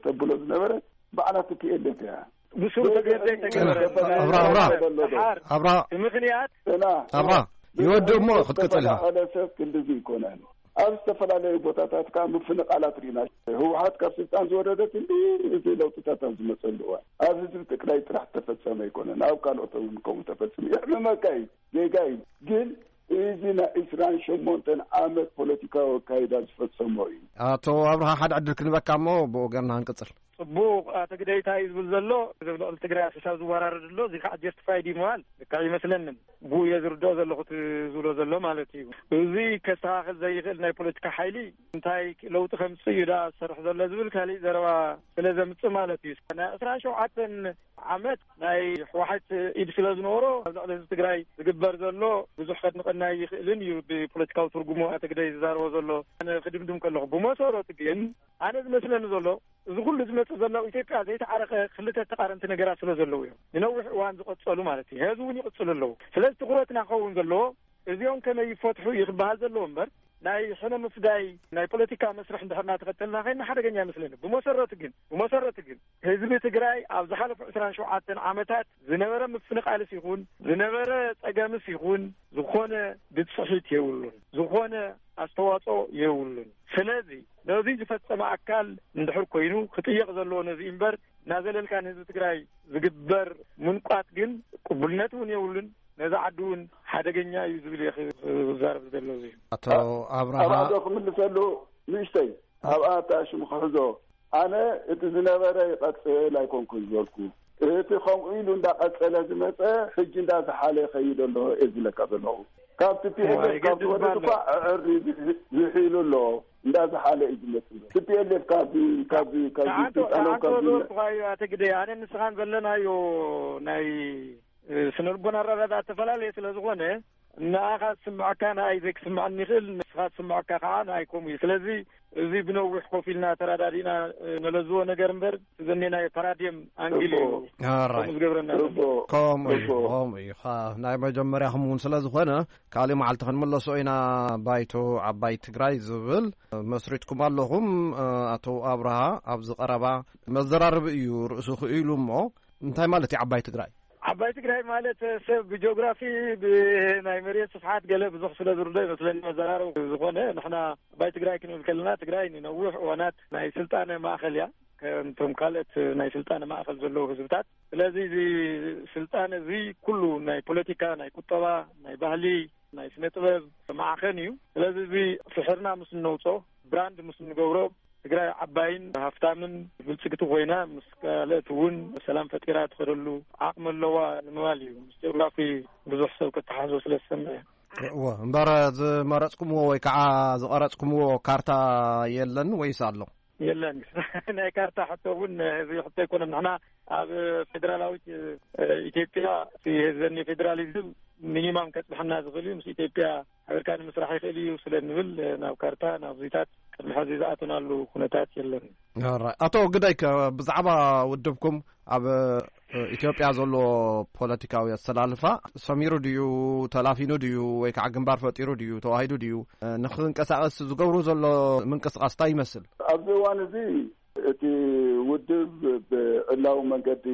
ተብሎ ዝነበረ ባዕላ ቲ ፒ ኤል ኤፍ እያ። ብስሩ ተገደ ተገበረ። ኣብራ፣ ኣብራ። ደሓር ኣብራ። ብምኽንያት እና ኣብራ። ይወድእ እሞ ክትቅጽል ኢኻ። ዝተፈናቐለ ሰብ ክንድዚ ይኮነን። ኣብ ዝተፈላለዩ ቦታታት ከዓ ምፍንቓላት ርኢና። ህወሓት ካብ ስልጣን ዝወረደት እንዲ እዚ ለውጥታት ኣብ ዝመፀሉ እዋን ኣብ ህዝቢ ትግራይ ጥራሕ ተፈጸመ ኣይኮነን፣ ኣብ ካልኦት እውን ከምኡ ተፈጺሙ። የሕምመካ እዩ፣ ጌጋ እዩ። ግን እዚ ናይ ዕስራን ሸሞንተን ዓመት ፖለቲካዊ ኣካይዳ ዝፈጸሞ እዩ። ኣቶ ኣብርሃ፣ ሓደ ዕድል ክንበካ እሞ ብወገንና ክንቅጽል። ጽቡቕ፣ ኣቶ ግደይ እንታይ እዩ ዝብል ዘሎ? እዚ ኣብ ልዕሊ ትግራይ ኣሰሻ ዝወራረድ ኣሎ፣ እዚ ከዓ ጀስቲፋይድ እዩ ምባል ልክዕ ይመስለንን። ብኡ እየ ዝርድኦ ዘለኹ እቲ ዝብሎ ዘሎ ማለት እዩ። እዚ ከስተኻኽል ዘይኽእል ናይ ፖለቲካ ሓይሊ እንታይ ለውጢ ከምጽእ እዩ ደኣ ዝሰርሕ ዘሎ ዝብል ካሊእ ዘረባ ስለ ዘምጽእ ማለት እዩ። ናይ ዕስራን ሸውዓተን ዓመት ናይ ህወሓት ኢድ ስለ ዝነበሮ ኣብ ልዕሊ ህዝቢ ትግራይ ዝግበር ዘሎ ብዙሕ ከድንቐና ይኽእልን እዩ። ብፖለቲካዊ ትርጉሙ ኣቶ ግደይ ዝዛረቦ ዘሎ ኣነ ክድምድም ከለኹ፣ ብመሰረቱ ግን ኣነ ዝመስለኒ ዘሎ እዚ ኩሉ ዝመጽእ ዘሎ ኣብ ኢትዮጵያ ዘይተዓረቐ ክልተ ተቃረንቲ ነገራት ስለ ዘለዉ እዮም። ንነዊሕ እዋን ዝቐጸሉ ማለት እዩ። ሕዚ እውን ይቕጽሉ ኣለዉ። ስለዚ ትኹረትና ክኸውን ዘለዎ እዚኦም ከመይ ይፈትሑ እዩ ክበሃል ዘለዎ እምበር ናይ ሕነ ምፍዳይ ናይ ፖለቲካ መስርሕ እንድሕር እናተኸተልና ኸይና ሓደገኛ ይመስለኒ። ብመሰረቱ ግን፣ ብመሰረቱ ግን ህዝቢ ትግራይ ኣብ ዝሓለፉ ዕስራን ሸውዓተን ዓመታት ዝነበረ ምፍንቓልስ ይኹን ዝነበረ ጸገምስ ይኹን ዝኾነ ብጽሒት የብሉን። ዝኾነ ኣስተዋጽኦ የብሉን። ስለዚ ነዚ ዝፈጸመ ኣካል እንድሕር ኮይኑ ክጥየቕ ዘለዎ ነዚ እምበር እናዘለልካ ንህዝቢ ትግራይ ዝግበር ምንቋት ግን ቅቡልነት እውን የብሉን። ነዚ ዓዲ እውን ሓደገኛ እዩ ዝብል እየ ክዛረብ ዝደሎ። እዚ ኣቶ ኣብርሃ ኣብኣ ዶ ክምልሰሉ ንእሽተይ ኣብኣ እታ ሽሙ ክሕዞ ኣነ እቲ ዝነበረ ይቐጽል ኣይኮንኩን ዝበልኩ። እቲ ከምኡ ኢሉ እንዳቐጸለ ዝመጸ ሕጂ እንዳዝሓለ ይኸይድ ኣሎ እየ ዝብለካ ዘለኹ። ካብቲ ፒ ኤፍ ኤፍ ካብ ኣይገድድ ዝወርድ ባሎ። እኳ ኣዕሪ ዝሒ-፣ ዝሒሉ ኣሎ። እንዳዝሓለ እዩ ዝመጽእ። እቲ ፒ ኤል ኤፍ ካብዚ፣ ካብዚ፣ ካብዚ ተዓንቶ፣ ስልጣኖም ተዓንቶ ካብዚ ዝበልኩኻ እዩ ኣቶ ግደይ። ኣነ ንስኻን ዘለናዮ ናይ፣ እ፣ ስነ ልቦና ኣረዳድኣ እተፈላለየ ስለ ዝኾነ፣ ንኣኻ ዝስምዐካ ንኣይ ዘይክስምዐኒ ይኽእል፣ ንስኻ ዝስምዐካ ከዓ ንኣይ ከምኡ እዩ። ስለዚ እዚ ብነዊሕ ኮፍ ኢልና ተራዳዲና፣ እ፣ ነለዝዎ ነገር እምበር፣ ዘኔ ናይ ፓራዲየም ኣንግል እዩ። ጽቡቅ። ኣራይ። ከምኡ ዝገብረና ዘሎ። ጽቡቅ። ከምኡ እዩ፣ ጽቡቅ። ከምኡ እዩ። ኻ-፣ ናይ መጀመርያኹም እውን ስለ ዝኾነ፣ ካልእ መዓልቲ ክንምለሶ ኢና። ባይቶ ዓባይ ትግራይ ዝብል መስሪትኩም ኣለኹም። እ፣ ኣቶ ኣብርሃ፣ ኣብዚ ቀረባ መዘራረቢ እዩ ርእሱ ክኢሉ እሞ፣ እንታይ ማለት እዩ ዓባይ ትግራይ? ዓባይ ትግራይ ማለት ሰብ ብጂኦግራፊ፣ ብናይ መሬት ስፍሓት ገለ ብዙሕ ስለ ዝርዶ ይመስለኒ መዘራረቢ ዝኾነ። ንሕና ዓባይ ትግራይ ክንብል ከለና፣ ትግራይ ንነዊሕ እዋናት ናይ ስልጣነ ማእኸል እያ፣ ከምቶም ካልኦት ናይ ስልጣነ ማእኸል ዘለዉ ህዝብታት። ስለዚ እዚ ስልጣነ እዚ ኩሉ ናይ ፖለቲካ፣ ናይ ቁጠባ፣ ናይ ባህሊ፣ ናይ ስነ ጥበብ ማዕኸን እዩ። ስለዚ እዚ ፍሕርና ምስ እነውጾ፣ ብራንድ ምስ እንገብሮ፣ ትግራይ ዓባይን ሃፍታምን ብልጽግቲ ኮይና፣ ምስ ካልኦት እውን ሰላም ፈጢራ ትኸደሉ ዓቕሚ ኣለዋ ንምባል እዩ። ምስ ጂኦግራፊ ብዙሕ ሰብ ከተሓዞ ስለ ዝሰምዕ እዩ። እወ፣ እምበር ዝመረጽኩምዎ ወይ ከዓ ዝቐረጽኩምዎ ካርታ የለን ወይስ ኣሎ? የለን። ናይ ካርታ ሕቶ እውን እዚ ሕቶ ኣይኮነን። ንሕና ኣብ ፌደራላዊት፣ እ፣ ኢትዮጵያ፣ እቲ ዘኒ ፌደራሊዝም ሚኒማም ከጽንሐና ዝኽእል እዩ። ምስ ኢትዮጵያ ሓቢርካ ንምስራሕ ይኽእል እዩ ስለ እንብል፣ ናብ ካርታ፣ ናብ ዙይታት ቅድሚ ሕዚ ዝኣተናሉ ኩነታት የለን። ኦራይ። ኣቶ ግዳይ፣ ከ ብዛዕባ ውድብኩም ኣብ፣ እ፣ ኢትዮጵያ ዘሎ ፖለቲካዊ ኣሰላልፋ ሰሚሩ ድዩ፣ ተላፊኑ ድዩ፣ ወይ ከዓ ግንባር ፈጢሩ ድዩ፣ ተዋሂዱ ድዩ፣ እ፣ ንኽንቀሳቐስ ዝገብሩ ዘሎ ምንቅስቓስ እንታይ ይመስል? ኣብዚ እዋን እዚ እቲ ውድብ ብዕላዊ መንገዲ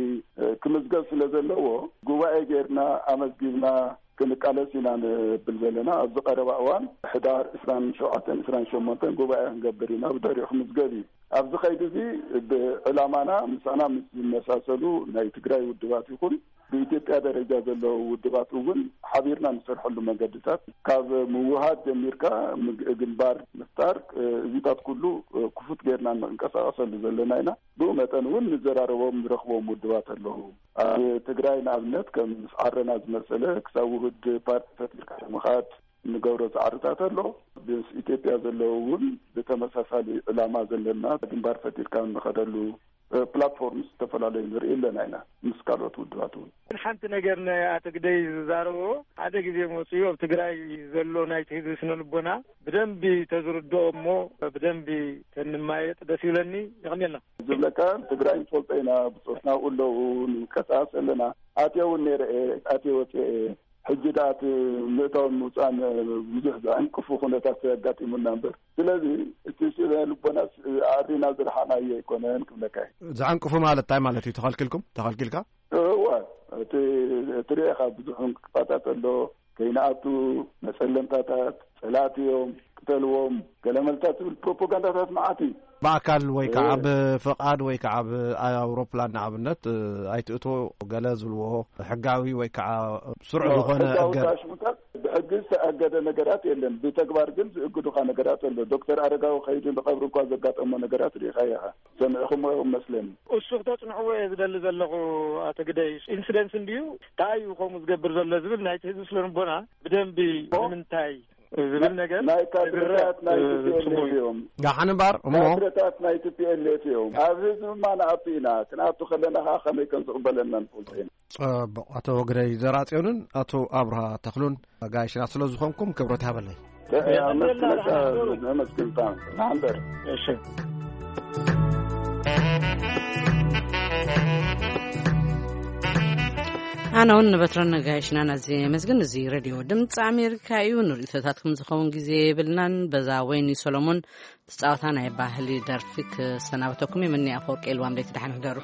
ክምዝገብ ስለ ዘለዎ፣ ጉባኤ ጌርና ኣመዝጊብና ክንቃለስ ኢና ንብል ዘለና። ኣብዚ ቀረባ እዋን፣ ሕዳር ዕስራን ሸውዓተን ዕስራን ሸሞንተን ጉባኤ ክንገብር ኢና፣ ብድሕሪኡ ክምዝገብ እዩ። ኣብዚ ኸይዲ እዚ፣ ብዕላማና ምሳና ምስ ዝመሳሰሉ ናይ ትግራይ ውድባት ይኹን ብኢትዮጵያ ደረጃ ዘለዉ ውድባት እውን ሓቢርና ንሰርሐሉ መገድታት፣ ካብ ምውሃድ ጀሚርካ፣ ምግ-፣ ግንባር ምፍጣር፣ እ፣ እዚታት ኩሉ፣ እ፣ ክፉት ጌርና እንቀሳቐሰሉ ዘለና ኢና። ብኡ መጠን እውን ንዘራረቦም፣ ንረኽቦም ውድባት ኣለዉ። ኣብ ትግራይ ንኣብነት፣ ከም ምስ ዓረና ዝመሰለ፣ ክሳብ ውሁድ ፓርቲ ፈጢርካ ንምኻድ እንገብሮ ጻዕርታት ኣሎ። ምስ ኢትዮጵያ ዘለዉ እውን ብተመሳሳሊ ዕላማ ዘለና ግንባር ፈጢርካ እንኸደሉ ፕላትፎርምስ ዝተፈላለዩ ንርኢ ኣለና ኢና፣ ምስ ካልኦት ውድባት እውን። ግን ሓንቲ ነገር ናይ ኣቶ ግደይ ዝዛረቦ፣ ሓደ ግዜ መፅኡ ኣብ ትግራይ ዘሎ ናይቲ ህዝቢ ስነ ልቦና ብደንቢ ተዝርድኦ እሞ ብደንቢ ተንማየጥ ደስ ይብለኒ። የቐንየልና። ዝብለካ፣ ትግራይ ንፈልጦ ኢና፣ ብፆትና ኣለዉ፣ ንንቀሳቐስ ኣለና። ኣትየ እውን ነይረ እየ፣ ኣትየ ወፅየ እየ። ሕጂ ደኣ እቲ ምእታውን ምውፃእን ብዙሕ ዘዕንቅፉ ኩነታት ኣጋጢሙና እምበር። ስለዚ እቲ ስነ ልቦናስ ኣዕሪና ዝረሓቕናዮ ኣይኮነን ክብለካ እየ። ዘዕንቅፉ ማለት እንታይ ማለት እዩ? ተኸልኪልኩም? ተኸልኪልካ? እወ፣ እቲ ትሪኦ ኢኻ፣ ብዙሕ ዕንቅፋታት ኣሎ። ከይንኣቱ፣ መፀለምታታት፣ ፀላእቲ እዮም፣ ቅተልዎም፣ ገለመልታት ዝብል ፕሮፓጋንዳታት መዓት እዩ። ብኣካል ወይ ከዓ እ። ብፍቓድ ወይ ከዓ ብኣውሮፕላን ንኣብነት፣ እ፣ ኣይትእቶ ገለ ዝብልዎ ሕጋዊ ወይ ከዓ ስሩዕ ኖ፣ ዝኾነ ሕጋዊ እገዳ። ታሽሙታት ብሕጊ ዝተኣገደ ነገራት የለን። ብተግባር ግን ዝእግዱኻ ነገራት ኣሎ። ዶክተር ኣረጋዊ ከይዱ ንቐብሪ እኳ ዘጋጠሞ ነገራት ርኢኻ ኢኻ። ሰሚዕኹምዎ መስለኒ። እሱ ክተጽንዕዎ እየ ዝደሊ ዘለኹ፣ ኣቶ ግደይ። ኢንሲደንስ እንድዩ፣ እንታይ እዩ ከምኡ ዝገብር ዘሎ ዝብል ናይቲ ህዝቢ ስነ ልቦና ብደንቢ ኦ? ንምንታይ ዝብል ነገር ናይ ካድረታት ናይ እ፣ ቲ ፒ ኤል ኤፍ ጽቡቅ እዩ። እዮም። ደሓን እምበር እሞ። ካድረታት ናይ ቲ ፒ ኤል ኤፍ እዮም። ኣብ ህዝቢ ድማ ንኣቱ ኢና። ክንኣቱ ከለና ከዓ ከመይ ከም ዝቕበለና ንፈልጦ ኢና። ጽቡቕ። ኣቶ ግደይ ዘርኣጽዮንን ኣቶ ኣብርሃ ተኽሉን ጋይሽና ስለ ዝኾንኩም ክብረት ይሃበለይ። እ፣ እ፣ የቐንየልና፣ ኣመስግነካ፣ ደሓን እምበሩ። ኣመስግንካ። ደሓን እምበር። እሺ። ኣነ እውን ንበትረን ነጋይሽናን ኣዝየ የመስግን። እዚ ሬድዮ ድምፂ ኣሜሪካ እዩ። ንርእይቶታትኩም ዝኸውን ግዜ የብልናን። በዛ ወይኒ ሰሎሞን ትጻወታ ናይ ባህሊ ደርፊ ክሰናበተኩም እየ። ምኒ ኣፈወርቂ ኢልዋም፣ ደይቲ ደሓን ህደሩ።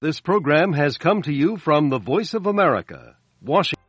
This program has come to you from the Voice of America, Washington.